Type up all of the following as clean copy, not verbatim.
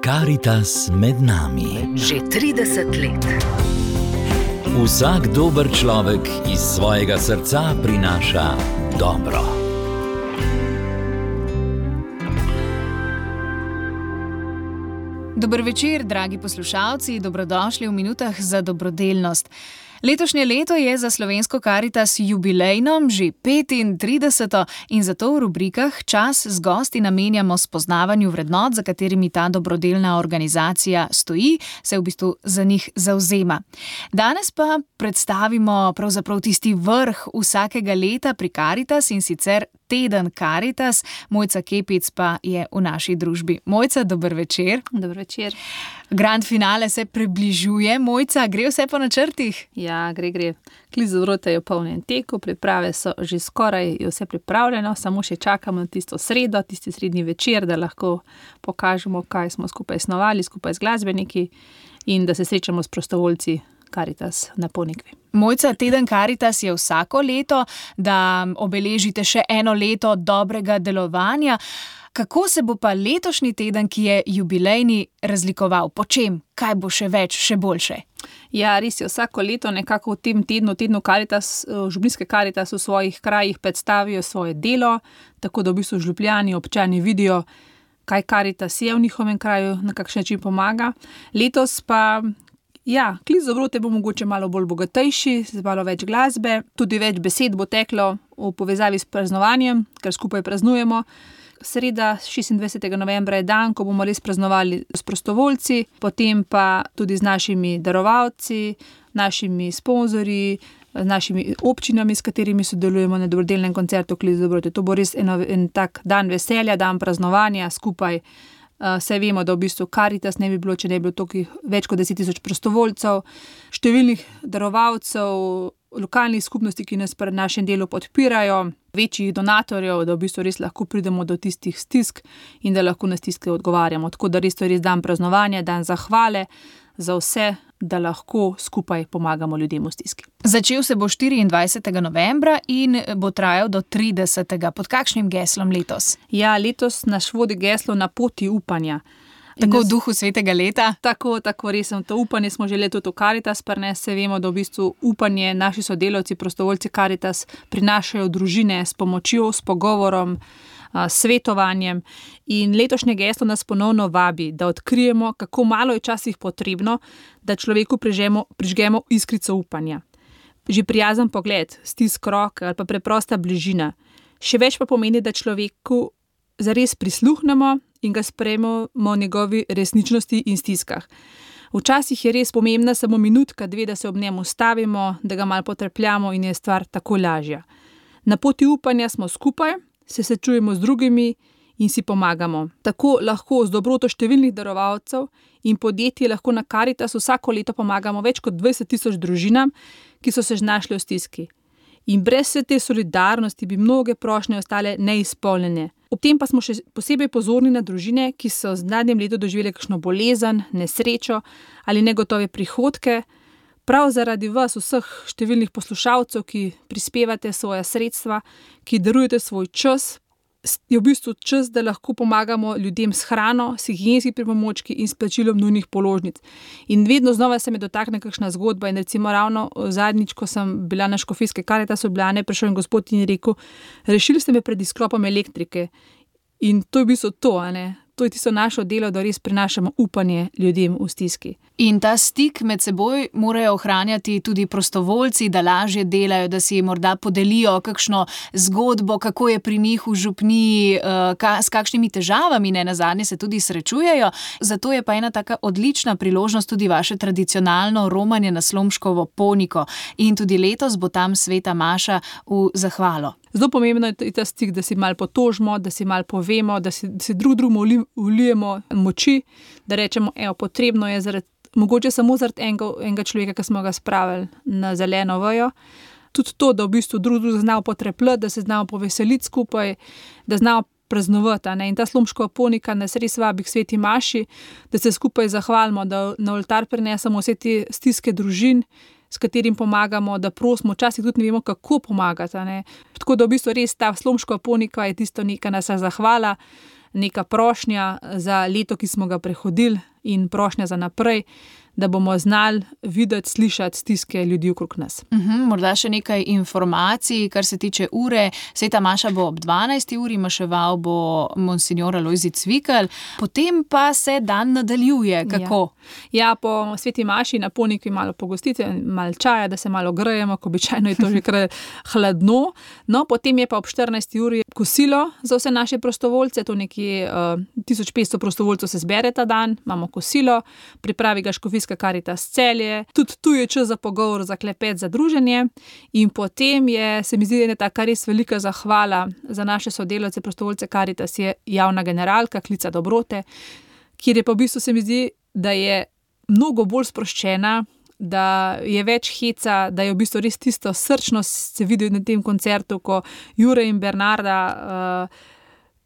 Karitas med nami. Že 30 let. Vsak dober človek iz svojega srca prinaša dobro. Dober večer, dragi poslušalci, dobrodošli v minutah za dobrodelnost. Letošnje leto je za slovensko Karitas jubilejno, že 35. in zato v rubrikah Čas z gosti namenjamo spoznavanju vrednot, za katerimi ta dobrodelna organizacija stoji, se v bistvu za njih zavzema. Danes pa predstavimo pravzaprav tisti vrh vsakega leta pri Karitas, in sicer Teden Karitas. Mojca Kepic pa je v naši družbi. Mojca, dober večer. Dober večer. Grand finale se približuje. Mojca, gre vse po načrtih? Ja, gre. Klic-Dobrote je v polnem teku, priprave so že skoraj vse pripravljeno, samo še čakamo na tisto sredo, tisti srednji večer, da lahko pokažemo, kaj smo skupaj snovali, skupaj z glasbeniki in da se srečamo s prostovoljci Karitas na Ponikvi. Mojca, Teden Karitas je vsako leto, da obeležite še eno leto dobrega delovanja. Kako se bo pa letošnji teden, ki je jubilejni, razlikoval? Po čem? Kaj bo še več, še boljše? Ja, res je, vsako leto nekako v tem tednu Karitas, župnijske Karitas v svojih krajih predstavijo svoje delo, tako da v bistvu župljani, občani vidijo, kaj Karitas je v njihovem kraju, na kakšen način pomaga. Letos pa ja, Klic-Dobrote bo mogoče malo bolj bogatejši, z malo več glasbe, tudi več besed bo teklo v povezavi s praznovanjem, ker skupaj praznujemo. Sreda, 26. novembra je dan, ko bomo res praznovali s prostovoljci, potem pa tudi z našimi darovalci, našimi sponzorji, z našimi občinami, s katerimi sodelujemo na dobrodelnem koncertu Klic-Dobrote. To bo res en tak dan veselja, dan praznovanja skupaj. Saj vemo, da v bistvu Karitas ne bi bilo, če ne bi bilo toliko več kot 10 000 prostovoljcev, številnih darovalcev, lokalnih skupnosti, ki nas pri našem delu podpirajo, večjih donatorjev, da v bistvu res lahko pridemo do tistih stisk in da lahko na stiske odgovarjamo. Tako da res to je res dan praznovanja, dan zahvale za vse, da lahko skupaj pomagamo ljudem v stiski. Začel se bo 24. novembra in bo trajal do 30. Pod kakšnim geslom letos? Ja, letos naš vodi geslo Na poti upanja. Tako v duhu svetega leta? Tako resno. To upanje smo želeli tudi v Karitas prinesti. Se vemo, da v bistvu upanje naši sodelavci, prostovoljci Karitas prinašajo družine s pomočjo, s pogovorom, svetovanjem. In letošnje geslo nas ponovno vabi, da odkrijemo, kako malo je včasih potrebno, da človeku prižgemo iskrico upanja. Že prijazen pogled, stisk rok ali pa preprosta bližina. Še več pa pomeni, da človeku zares prisluhnemo in ga sprejmemo njegovi resničnosti in stiskah. Včasih je res pomembna samo minutka, dve, da se ob njem ustavimo, da ga malo potrpljamo in je stvar tako lažja. Na poti upanja smo skupaj, se srečujemo z drugimi in si pomagamo. Tako lahko z dobroto številnih darovalcev in podjetij lahko na Karitas vsako leto pomagamo več kot 20 000 družinam, ki so se znašli v stiski. In brez vse te solidarnosti bi mnoge prošnje ostale neizpolnjene. Ob tem pa smo še posebej pozorni na družine, ki so v zadnjem letu doživele kakšno bolezen, nesrečo ali negotove prihodke. Prav zaradi vas, vseh številnih poslušalcev, ki prispevate svoja sredstva, ki darujete svoj čas, je v bistvu čas, da lahko pomagamo ljudem s hrano, s higienskimi pripomočki in s plačilom nujnih položnic. In vedno znova se me dotakne kakšna zgodba in recimo ravno zadnjič, ko sem bila na škofijske Karitas v Ljubljani, prišel en gospod in je rekel: rešili ste me pred izklopom elektrike. In to je v bistvu to, To je tisto naše delo, da res prinašamo upanje ljudem v stiski. In ta stik med seboj morajo ohranjati tudi prostovoljci, da lažje delajo, da si morda podelijo kakšno zgodbo, kako je pri njih v župniji, s kakšnimi težavami nenazadnje se tudi srečujejo. Zato je pa ena taka odlična priložnost tudi vaše tradicionalno romanje na Slomškovo Poniko. In tudi letos bo tam sveta maša v zahvalo. Zelo pomembno je ta stik, da si malo potožimo, da si malo povemo, da si drugemu vlijemo moči, da rečemo, potrebno je mogoče samo zaradi enega človeka, ki smo ga spravili na zeleno vejo. Tudi to, da v bistvu drug znamo potrepljati, da se znamo poveseliti skupaj, da znamo praznovati. In ta Slomškova Ponika nas res vabi k sveti maši, da se skupaj zahvalimo, da na oltar prinesemo vse te stiske družin, s katerim pomagamo, da prosimo, včasih tudi ne vemo, kako pomagati. Tako da v bistvu res ta Slomškova Ponika je tisto neka naša zahvala neka prošnja za leto, ki smo ga prehodili in prošnja za naprej, da bomo znali videti, slišati stiske ljudi okrog nas. Morda še nekaj informacij, kar se tiče ure. Sveta maša bo ob 12. uri, maševal bo monsignor Alojzij Cvikl, potem pa se dan nadaljuje. Kako? Ja, po sveti maši na Ponikvi malo pogostite, malo čaja, da se malo grejemo, ko običajno je to že kar hladno. No, potem je pa ob 14. uri kosilo za vse naše prostovoljce, to nekje 1500 prostovoljcev se zbere ta dan, imamo kosilo, pripravi ga Škofijska Karitas Celje, tudi tu je čas za pogovor, za klepet, za druženje in potem je, se mi zdi, ena taka res velika zahvala za naše sodelavce, prostovoljce Karitas je javna generalka Klica dobrote, kjer je pa v bistvu se mi zdi, da je mnogo bolj sproščena, da je več heca, da je v bistvu res tisto srčnost se vidi na tem koncertu, ko Jure in Bernarda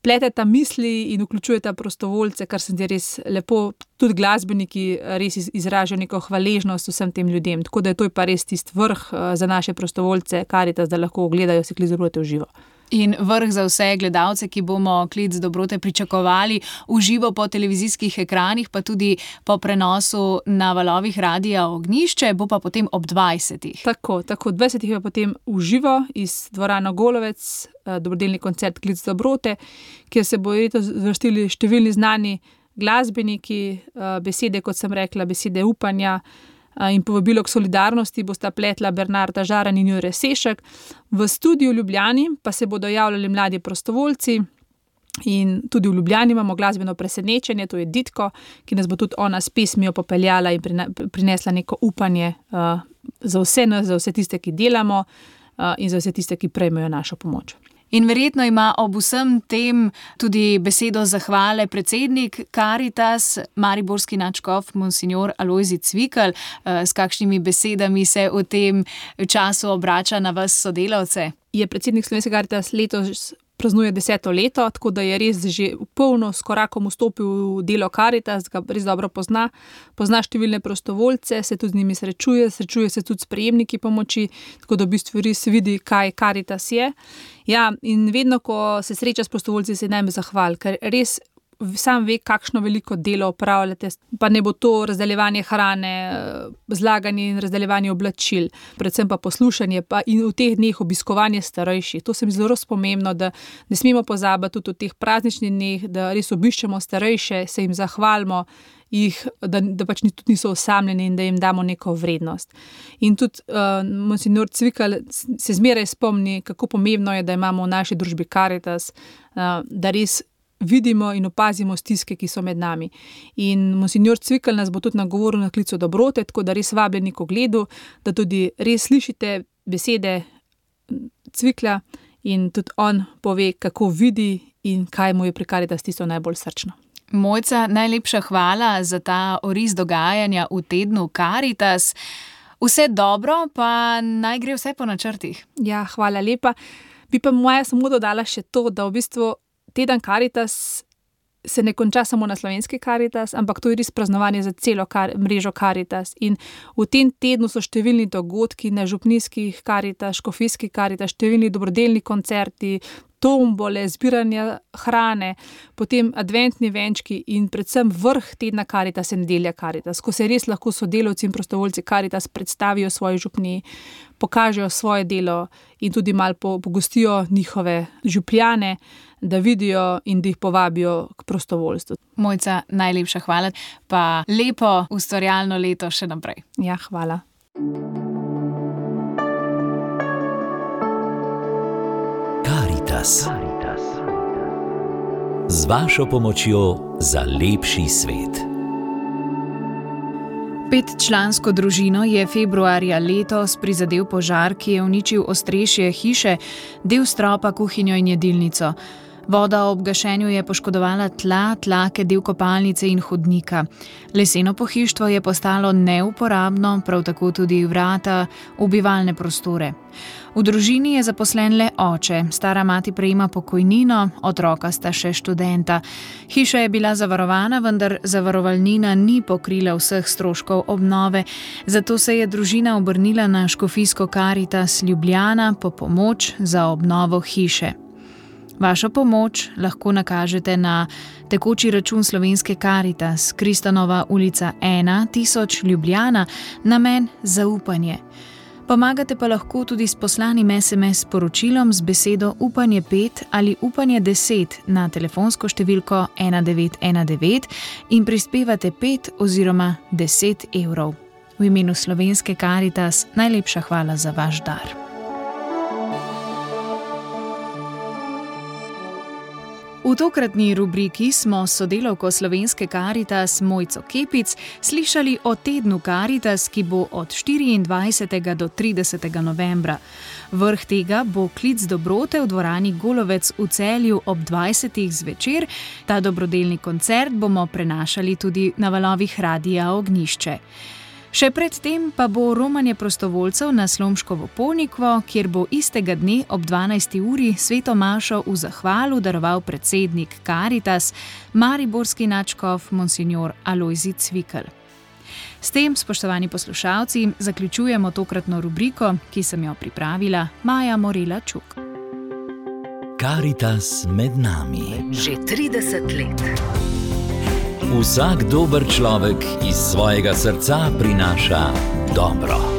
pleteta misli in vključujeta prostovoljce, kar se zdi res lepo. Tudi glasbeniki res izražajo neko hvaležnost vsem tem ljudem. Tako da je to pa res tisti vrh za naše prostovoljce Karitas, da lahko gledajo si Klic dobrote v živo. In vrh za vse gledalce, ki bomo Klic dobrote pričakovali v živo po televizijskih ekranih, pa tudi po prenosu na valovih Radia Ognjišče, bo pa potem ob 20. Tako, 20 je pa potem v živo iz dvorane Golovec, dobrodelni koncert Klic dobrote, kjer se bodo letos vrstili številni znani glasbeniki, besede, kot sem rekla, besede upanja in povabilo k solidarnosti bosta pletla Bernarda Žaran in Jure Sešek. V studiu v Ljubljani pa se bodo javljali mladi prostovoljci in tudi v Ljubljani imamo glasbeno presenečenje, to je Ditko, ki nas bo tudi ona s pesmijo popeljala in prinesla neko upanje za vse nas, za vse tiste, ki delamo in za vse tiste, ki prejmejo našo pomoč. In verjetno ima ob vsem tem tudi besedo zahvale predsednik Karitas, mariborski nadškof monsignor Alojzij Cvikl. S kakšnimi besedami se v tem času obrača na vas sodelavce? Je predsednik Slovenske Karitas letos praznuje 10. leto, tako da je res že v polno s korakom vstopil v delo Karitas, ga res dobro pozna številne prostovoljce, se tudi z njimi srečuje se tudi s prejemniki pomoči, tako da v bistvu res vidi, kaj Karitas je. Ja, in vedno, ko se sreča s prostovoljci, se najme zahval, ker res sam ve, kakšno veliko delo opravljate, pa ne bo to razdeljevanje hrane, zlaganje in razdeljevanje oblačil, predvsem pa poslušanje pa in v teh dneh obiskovanje starejših. To se mi zelo pomembno, da ne smemo pozabiti tudi v teh prazničnih dneh, da res obiščemo starejše, se jim zahvalimo, da pač tudi niso osamljeni in da jim damo neko vrednost. In tudi monsignor Cvikl se zmeraj spomni, kako pomembno je, da imamo v naši družbi Karitas, da res vidimo in opazimo stiske, ki so med nami. In monsignor Cvikl nas bo tudi nagovoril na Klicu dobrote, tako da res vabljeni k ogledu, da tudi res slišite besede Cvikla in tudi on pove, kako vidi in kaj mu je pri Karitas tisto najbolj srčno. Mojca, najlepša hvala za ta oris dogajanja v tednu Karitas. Vse dobro, pa naj gre vse po načrtih. Ja, hvala lepa. Bi pa moja samo dodala še to, da v bistvu teden Karitas se ne konča samo na Slovenski Karitas, ampak to je res praznovanje za celo mrežo Karitas. In v tem tednu so številni dogodki na župnijskih Karitas, škofijskih Karitas, številni dobrodelni koncerti, tombole, zbiranje hrane, potem adventni venčki in predvsem vrh tedna Karitas je nedelja Karitas, ko se res lahko sodelavci in prostovoljci Karitas predstavijo svoji župniji, pokažejo svoje delo in tudi malo pogostijo njihove župljane, da vidijo in da jih povabijo k prostovoljstvu. Mojca, najlepša hvala, pa lepo ustvarjalno leto še naprej. Ja, hvala. Karitas. Z vašo pomočjo za lepši svet. 5-člansko družino je februarja letos prizadel požar, ki je uničil ostrešje hiše, del stropa, kuhinjo in jedilnico. Voda ob gašenju je poškodovala tla, tlake, del kopalnice in hodnika. Leseno pohištvo je postalo neuporabno, prav tako tudi vrata v bivalne prostore. V družini je zaposlen le oče, stara mati prejema pokojnino, otroka sta še študenta. Hiša je bila zavarovana, vendar zavarovalnina ni pokrila vseh stroškov obnove, zato se je družina obrnila na Škofijsko Karitas Ljubljana po pomoč za obnovo hiše. Vašo pomoč lahko nakažete na tekoči račun Slovenske Karitas, Kristanova ulica 1, 1000 Ljubljana, namen zaupanje. Pomagate pa lahko tudi s poslanim SMS sporočilom z besedo Upanje 5 ali Upanje 10 na telefonsko številko 1919 in prispevate 5 oziroma 10 evrov. V imenu Slovenske Karitas najlepša hvala za vaš dar. V tokratni rubriki smo s sodelavko Slovenske Karitas Mojco Kepic slišali o tednu Karitas, ki bo od 24. do 30. novembra. Vrh tega bo klic dobrote v dvorani Golovec v Celju ob 20. zvečer. Ta dobrodelni koncert bomo prenašali tudi na valovih Radia Ognjišče. Še predtem pa bo romanje prostovoljcev na Slomškovo Ponikvo, kjer bo istega dne ob 12. uri sveto mašo v zahvalu daroval predsednik Karitas, mariborski nadškof monsignor Alojzij Cvikl. S tem, spoštovani poslušalci, zaključujemo tokratno rubriko, ki sem jo pripravila Maja Morela Čuk. Karitas med nami. Že 30 let. Vsak dober človek iz svojega srca prinaša dobro.